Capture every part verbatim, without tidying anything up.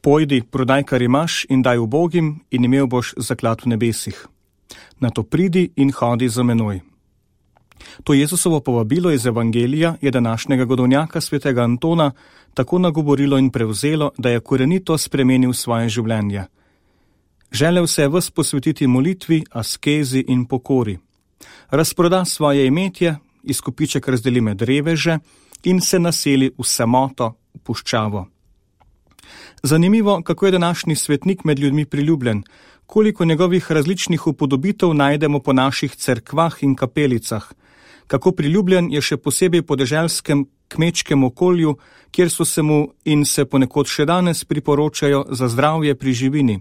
Pojdi, prodaj, kar imaš, in daj ubogim, in imel boš zaklad v nebesih. Nato pridi in hodi za menoj. To Jezusovo povabilo iz Evangelija je današnjega godovnjaka svetega Antona tako nagovorilo in prevzelo, da je korenito spremenil svoje življenje. Želel se je ves posvetiti molitvi, askezi in pokori. Razproda svoje imetje, izkupiček razdeli med reveže in se naseli v samoto, v puščavo. Zanimivo, kako je današnji svetnik med ljudmi priljubljen, koliko njegovih različnih upodobitev najdemo po naših cerkvah in kapelicah, kako priljubljen je še posebej po deželskem kmečkem okolju, kjer so se mu in se ponekod še danes priporočajo za zdravje pri živini.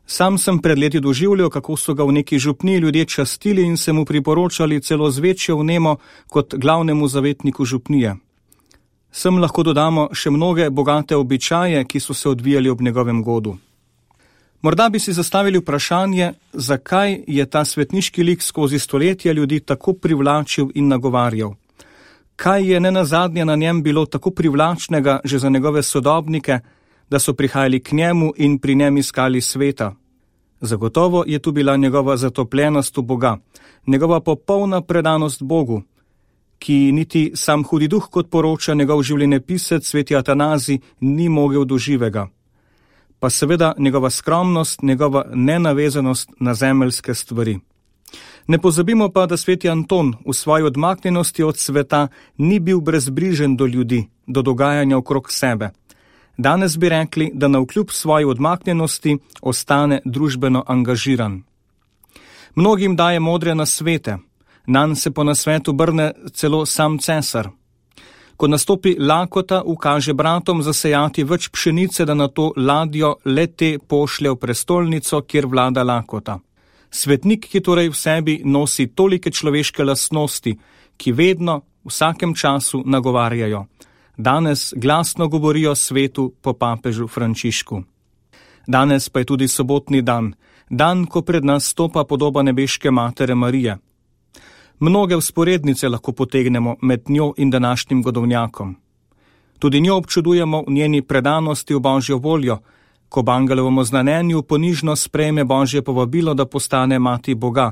Sam sem pred leti doživljal, kako so ga v neki župniji ljudje častili in se mu priporočali celo z večjo vnemo kot glavnemu zavetniku župnije. Sem lahko dodamo še mnoge bogate običaje, ki so se odvijali ob njegovem godu. Morda bi si zastavili vprašanje, zakaj je ta svetniški lik skozi stoletja ljudi tako privlačil in nagovarjal. Kaj je nenazadnje na njem bilo tako privlačnega že za njegove sodobnike, da so prihajali k njemu in pri njem iskali sveta? Zagotovo je tu bila njegova zatopljenost v Boga, njegova popolna predanost Bogu, ki niti sam hudi duh, kot poroča njegov življenjepisec sveti Atanazij, ni mogel do živega. Pa seveda njegova skromnost, njegova nenavezanost na zemeljske stvari. Ne pozabimo pa, da sveti Anton v svoji odmaknjenosti od sveta ni bil brezbrižen do ljudi, do dogajanja okrog sebe. Danes bi rekli, da navkljub svoji odmaknjenosti ostane družbeno angažiran. Mnogim daje modre nasvete, nanj se po nasvetu brne celo sam cesar. Ko nastopi lakota, ukaže bratom zasejati več pšenice, da na to ladjo le te pošlje v prestolnico, kjer vlada lakota. Svetnik, ki torej v sebi nosi tolike človeške lastnosti, ki vedno, v vsakem času nagovarjajo. Danes glasno govorijo svetu po papežu Frančišku. Danes pa je tudi sobotni dan, dan, ko pred nas stopa podoba nebeške matere Marije. Mnoge vzporednice lahko potegnemo med njo in današnjim godovnjakom. Tudi njo občudujemo v njeni predanosti v Božjo voljo, ko ob angelovem oznanjenju ponižno sprejme Božje povabilo, da postane mati Boga,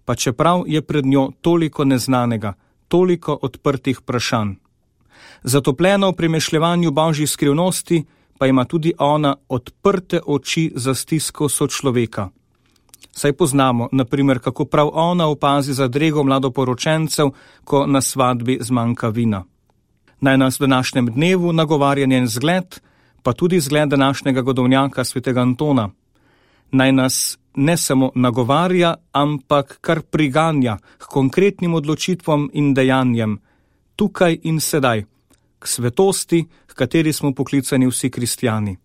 pa čeprav je pred njo toliko neznanega, toliko odprtih vprašanj. Zatopljena v premišljevanju Božjih skrivnosti, pa ima tudi ona odprte oči za stisko sočloveka. Saj poznamo, na primer, kako prav ona opazi zadrego mladoporočencev, ko na svadbi zmanjka vina. Naj nas v današnjem dnevu nagovarja njen zgled, pa tudi zgled današnjega godovnjaka svetega Antona. Naj nas ne samo nagovarja, ampak kar priganja k konkretnim odločitvam in dejanjem, tukaj in sedaj, k svetosti, k kateri smo poklicani vsi kristjani.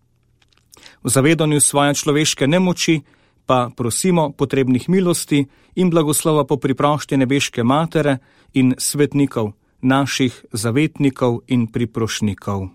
V zavedanju svoje človeške nemoči pa prosimo potrebnih milosti in blagoslova po priprošti nebeške matere in svetnikov, naših zavetnikov in priprošnikov.